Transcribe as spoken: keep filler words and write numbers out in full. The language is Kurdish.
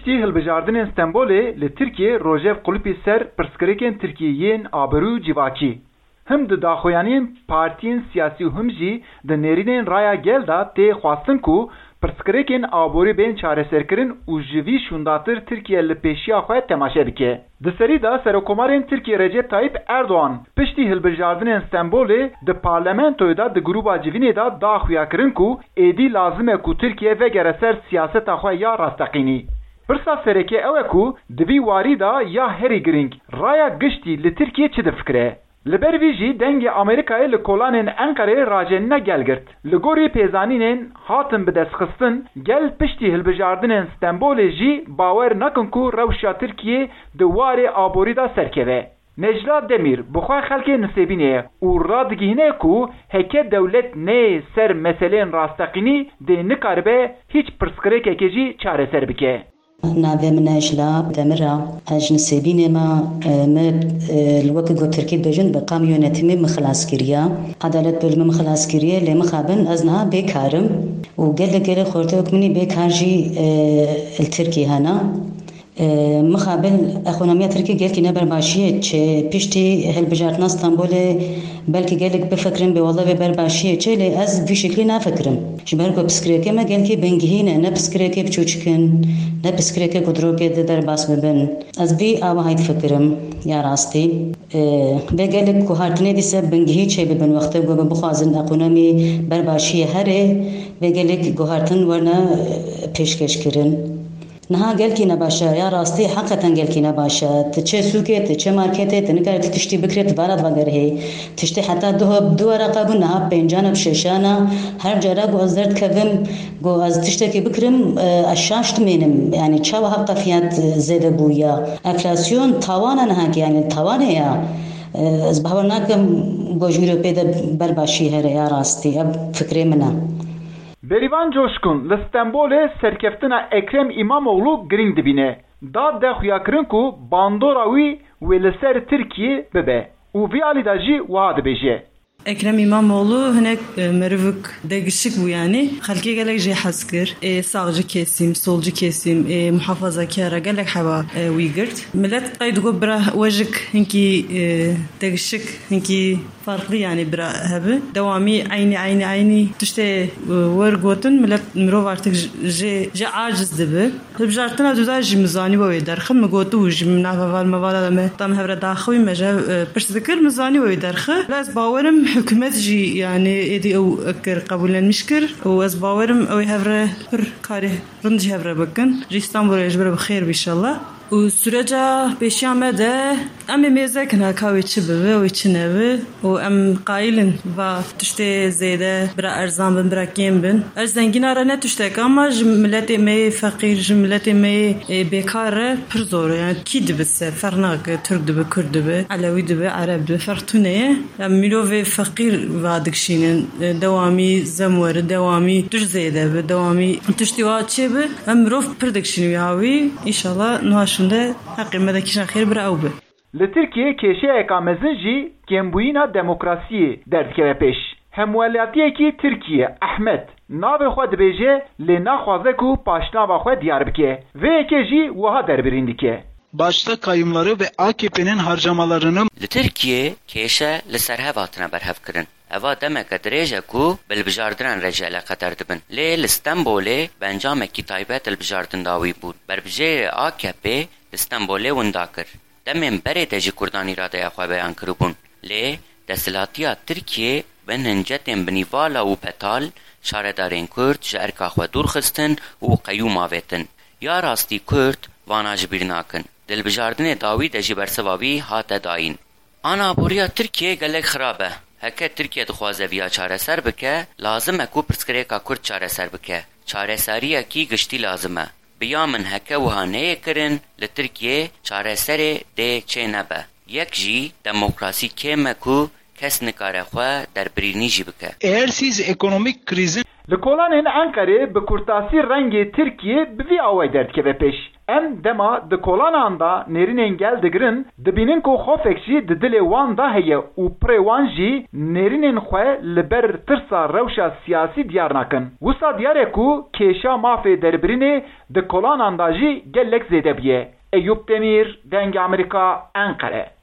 Tî hilbijardinên Stenbolê li Tirkiyê rojev qulipî ser pirsgirêkên Tirkiyê yên aborî û civakî. Him di daxuyaniyên partiyên siyasî û him jî di nêrînên Raya Gel de tê xwestin ku pirsgirêkên aborî bên çareserkirin û ji vî şûndatir Tirkiye li pêşiya xwe temaşe bike. Di serî de Serokomarên Tirkiyê Recep Tayyip Erdogan piştî hilbijardinên Stenbolê di parlamentoyê de di grûba civînê de da xuyakirin ku êdî lazim e ku Tirkiye vegere ser siyaseta xwe ya rasteqînî. Pirsa sereke ew e ku di vî warî de ya herî girîng, raya giştî li Tirkiyê çi difikire? Li ber vî jî dengê Amerîkayê li kolanên Enqereyê rajenîna gel girt. Li gorî pêzanînên hatin bidestxistin, gel piştî hilbijardinên Stenbolê jî bawer nakin ku rewşa Tirkiyê di warê aborî de serkeve. Necla Demîr bi xwe xelkê Nisêbînê ye û radigihîne ku heke dewlet neyê ser meseleyên rasteqînî dê nikaribe hîç pirsgirêkekê jî çareser bike. Navê min Necla Demir e. Ez ji Nisêbînê me, e, me, e, li wekî ku tirkî dibêjin, bi kam yönetimî min xilas kiriye. Edalet bölümü min xilas kiriye, lê mixabin ez niha bêkar im. Û gelek gelek xortê wek min î bêkar jî, e, li Tirkî hene. E, mixabin ekonomiya Tirkî gelkî ne berbaşiyê çê, piştî hilbijartina Stenbolê belkî gelek bifikirin, bê wele vê berbaşiyê çê, lê ez vî şeklî nafikirim. Ji ber ku pirsgirêkê me gelkî bingihîn e, ne pirsgirêkê biçûçik in, ne pirsgirêkê ku di rokê de derbas bibin. Ez vî awahî difikirim, ya rastî. E, vê gelek guhartinê dîse bingihî çêbibin, wextê ku bixwazin ekonomî berbaşiyê herê, vê gelek guhartin werine, e, pêşkêşkirin. Niha gelkî nebaş e, ya rastî heqeten gelkî nebaş e. Tu çê sûkê, tu çê marketê, tu nikarî tu tiştî bikirê, tu vara divegerihê. Tiştê heta du, du wereqa bû, niha pêncan e, şeşan e. Her cara ku ez derdikevim, ku ez tiştekî bikirim, e, ez şaş dimênim. Yanî çawa heqa fiyat, e, zêde bûye? Enflasyon tawana niha ki, yanî tawanê ye. E, ez bawer nakim ku ji wî re pê de berbaşî here ya rastî. Ev fikrê min e. Bêrîvan Coşkun li Stenbolê serkeftina Ekrem Îmamoğlu girîng dibîne. Da de xuyakirin ku bandora wî wê li ser Tirkiyê bibe û vî alî de jî wiha dibêje. Ekrem İmamoğlu hinek, e, merivik degişik bû yanî. Xelkê gelek jê hez kir. Ê sağcı kesim, solcu kesim, ê muhafazakara gelek heva, e, wî girt. Millet qey digot bira we jik hinkî, e, degişik, hinkî farklı yani bira hebi. Dewamî eynî, eynî, eynî tiştê, e, wer gotin, millet, mirov artık j-, jê, jê aciz dibi. Hilbijartina duda jî min zanî we wê derxin, min gotibû jî min nav heval mevala de me tam hevre daxivî me ji hev, e, pirs dikir, min zanî we wê derxi. Lê ez bawerim hikûmet jî yani êdî ew kir, qebûlenmiş kir û ez bawerim ew ê hevre pir karê rind jî hevre bikin. Ji Îstanbulê ji ber bi xêr bî inşallah. Û süreca pêşiya me de em ê mêze kin heka wê çi bibe, wê çi nebe. Û em qayil in va tiştê zêde bira erzan bin, bira kêm bin. Ez zengîna re ne tiştek, ama ji miletê me yê feqîr, ji miletê me yê, ê, bêkar re pir zor e. Yani kî dibe ser, ferq nake, Tirk dibe, Kurd dibe, Elewî dibe, Ereb dibe, ferq tune ye. Em mirovê feqîr va dikişînin, e, dewamî zem weri, dewamî tişt zêde bi, dewamî tiştî wa çê bi. Em mirov pir dikişînin wî hawî. Înşallah niha şûnde heqê me de kişa xêr bira ew bi. Li Tirkiyê kêşeyeka mezin jî kêmbûyîna demokrasiyê derdikeve pêş. Hemwelatiyekî Tirkiye, Ehmed, navê xwe dibêje, lê naxwaze ku paşnava xwe diyar bike. Vê yekê jî wiha derbirîn dike. Başta kayyumları ve A K P'nin harcamalarını Li Tirkiyê kêşe li ser hev hatine berhevkirin. Eva demeke dirêj e ku bi hilbijardinan re jî eleqedar dibin. Lê li Stenbolê bi encamekî taybet hilbijardin dawî bûn. Berbijêrê A K P li Stenbolê winda kir. Demên berê de jî Kurdan îradeya xwe beyan kiribûn. Lê desthilatiya Tirkiyê bin hincetên binîvala û betal şaredarên Kurd ji erka xwe dûr xistin û qeyûm avêtin. Ya rastî Kurd vana ji bîr nakin. Di hilbijardinê dawî de jî bersiva wî hate dayîn. Anaboriya Tirkiyê gelek xirab e. Heke Tirkiye dixwaze viya çareser bike, lazim e ku pirsgirêka Kurd çareser bike. Çareseriyekî giştî lazim e. Bi ya min heke wiha neyê kirin, li Tirkiyê çareserê dê çê nebe. Yek jî demokrasî kêm e ku kes nikare xwe derbirînî jî bike. Eğer siz ekonomik krizin Li kolanên Enqerê bi kurtasî rengê Tirkiyê bi vî awayî derdikeve pêş. Em dema di kolanan de nêrînên gel digirin, dibînin ku xofek jî di dilê wan de heye û pirê wan jî nêrînên xwe li ber tirsa rewşa siyasî diyar nakin. Wisa diyar e ku kêşa mafê derbirînê di kolanan de jî gelek zêde bûye. Eyûp Demîr, Dengê Amerîka, Enqere.